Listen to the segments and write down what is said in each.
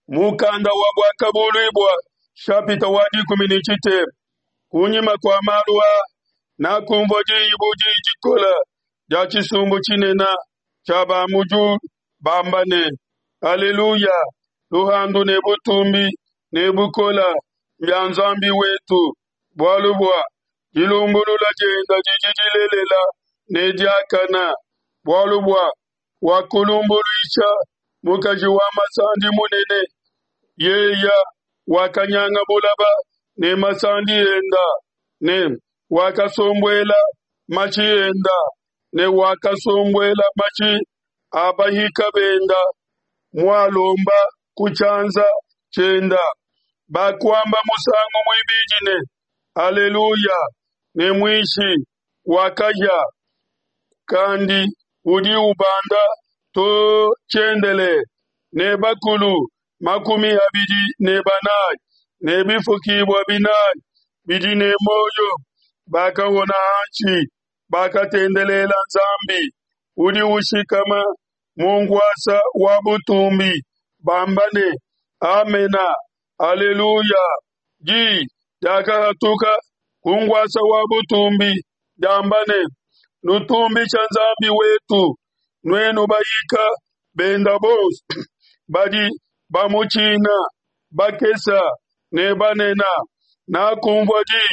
Mukanda wa Buakabuluibua shapita wa dikumi ne tshitema. Kunyima kua malu aa, nakumvua diyi bu diyi dikola dia tshisumbu tshinene tshia ba mu diulu bamba ne, Aleluya! Luhandu ne butumbi ne bukola mbia Nzambi wetu, bualu bua dilumbulula dienda didi dilelela ne diakana, bualu bua wakulumbuluisha mukaji wa masandi munene, yeya wakanyanga bulaba ne masandi enda, ne wakasombuela mashi enda, ne wakasombuela mashi a bahika benda mualomba ku tshianza tshienda. Bakuamba musangu muibidi ne, Aleluya! Ne muishi wa kahia kandi udi ubanda to tshiendelele, ne bakulu 24 ne bifukibua binayi bidi ne muoyo bakahona hanshi, bakatendelela Nzambi udi ushikama mu nkuasa wa butumbi, bamba ne, Amena, Aleluya. Di diakahatuka ku nkuasa wa butumbi diamba ne, Nutumbisha Nzambi wetu, nuenu bahika benda bonso badi bamutshina, bakesa ne banena. Nakumvua di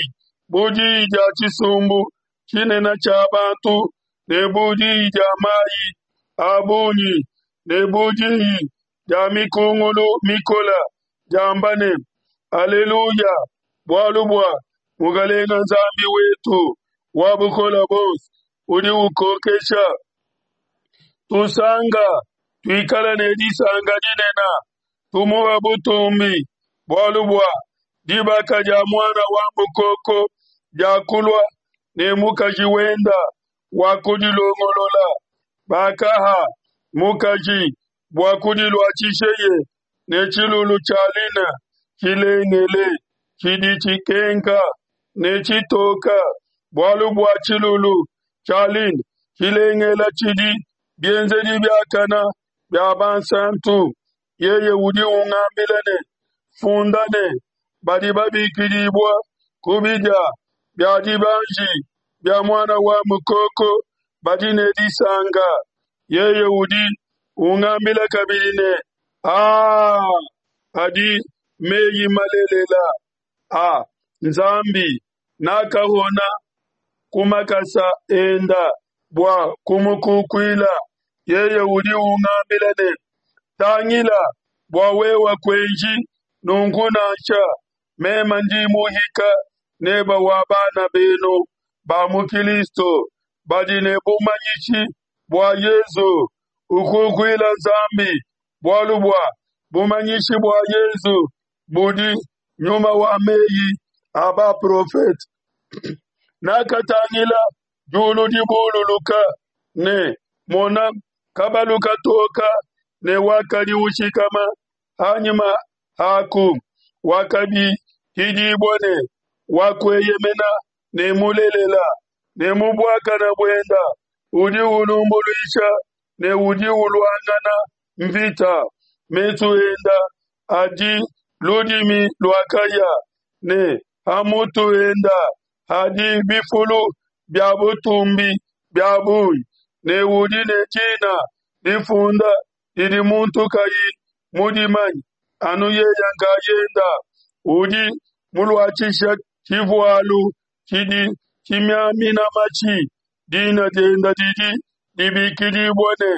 bu diyi dia tshisumbu tshinene tshia bantu, ne bu diyi dia mayi a bungi, ne bu diyi dia mikungulu mikola, diamba ne, Aleluya! Bualu bua Mukalenga Nzambi wetu wa bukole buonso udi ukokesha. Tusanka, tuikale ne disanka dinene, tumuha butumbi, bualu bua dibaka dia Muana wa Mukoko diakulua, ne mukaji wenda wakudilongolola. Bakaha mukaji bua kudiluatshisheye ne tshilulu tshia lin tshilengele tshidi tshikenka ne tshitoka, bualu bua tshilulu tshia lin tshilengele tshidi bienzedi biakana bia bansantu. Yeye udi ungambila ne, Funda ne, Badi babikidibua ku bidia bia dibanji bia Muana wa Mukoko badi ne disanka. Yeye udi ungambila kabidi ne, Aa adi meyi malelela a Nzambi. Nakahona ku makasa enda bua kumukukuila. Yeye udi ungambila ne, Tangila bua wewe kuenji nunku nansha, meme ndi muhika neba wa bana benu ba mu Kilisto badi ne bumanyishi bua Yezu. Ukukuila Nzambi, bualu bua bumanyishi bua Yezu budi nyuma wa meyi a baprofete. Nakatangila diulu dibululuka, ne mona, kabalu katoka, ne wakadi ushikama hanyima haku, wakabikidibua ne wa kueyemena ne mulelela, ne mu buakana buenda udi ulumbuluisha ne udi uluangana mvita. Mesu enda adi ludimi lua kahia, ne ha mutu enda hadi bifulu bia butumbi bia bungi, ne udi ne dina difunda didi muntu kayi mudimanye, anu yeye nkayenda. Udi muluatshisha tshivualu tshidi tshimiamina matshi, dina dienda didi dibikidibua ne,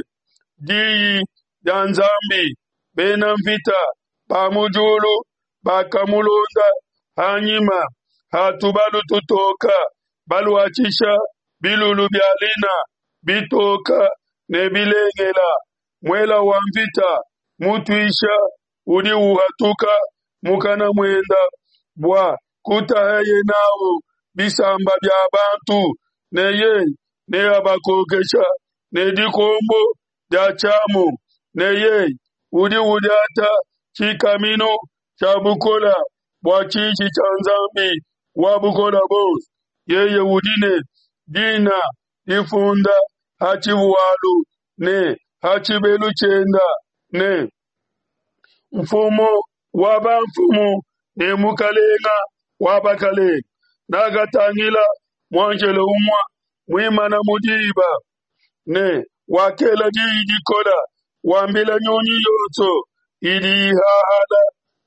Diyi dia Nzambi. Bena mvita ba mu diulu bakamulonda hanyima ha tubalu tutoka, baluatshisha bilulu bia lina bitoka ne bilengela. Muela wa mvita mutuisha udi uhatuka mukana muenda bua kutahaye n'au bisamba bia bantu, ne yeye neabakokesha ne dikombo dia tshiamu, ne yeye udi udiata tshikaminu tshia bukole bua tshiji tshia Nzambi wa Bukole Buonso. Yeye udi ne dina difunda ha tshivualu ne ha tshibelu tshienda ne, Mfumu wa bamfumu ne Mukalenga wa bakalenga. Nakatangila muanjelo umua muimana mu diba, ne wakela diyi dikola wambila nyunyi yonso idi ihahala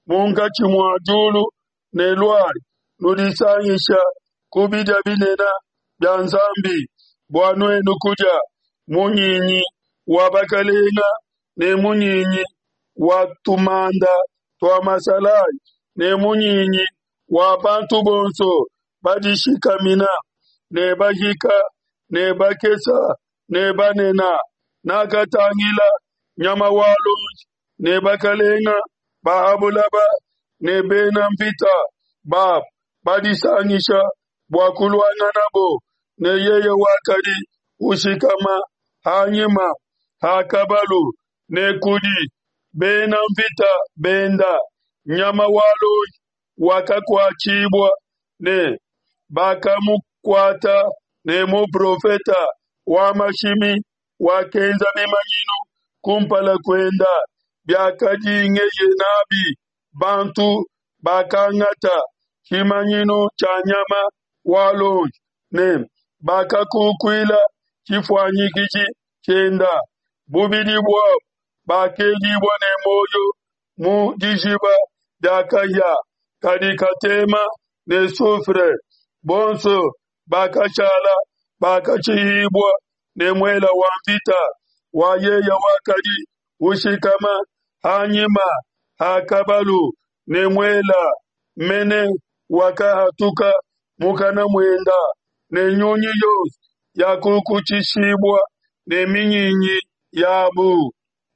munkatshi mua diulu ne, Luayi, nudisangisha ku bidia binene bia Nzambi, bua nuenu kudia munyinyi wa bakalenga ne munyinyi wa tumanda tua masalayi ne munyinyi wa bantu bonso badishikamina ne bahika ne bakesa ne banena. Nakatangila nyama wa luonji ne bakalenga ba ha bulaba ne bena mvita babo badisangisha bua kuluanganabo ne yeye wakadi ushikama hanyima ha kabalu ne kudi bena mvita benda. Nyama wa luonji wakakuatshibua ne bakamukuata ne muprofeta wa mashimi wakenza bimanyinu kumpala kuenda biakadingeye nabi bantu bakangata tshimanyinu tshia nyama wa luonji ne bakakukuila tshifuanyikiji tshienda. Bubidi buabo bakedibua ne muoyo mu dijiba dia kahia kadi katema ne soufre. Bonso bakashala bakashihibua ne muela wa mvita wa yeye wakadi ushikama hanyima ha kabalu, ne muela mene wakahatuka mukana muenda, ne nyunyi yonso yakukutshishibua ne minyinyi yabu.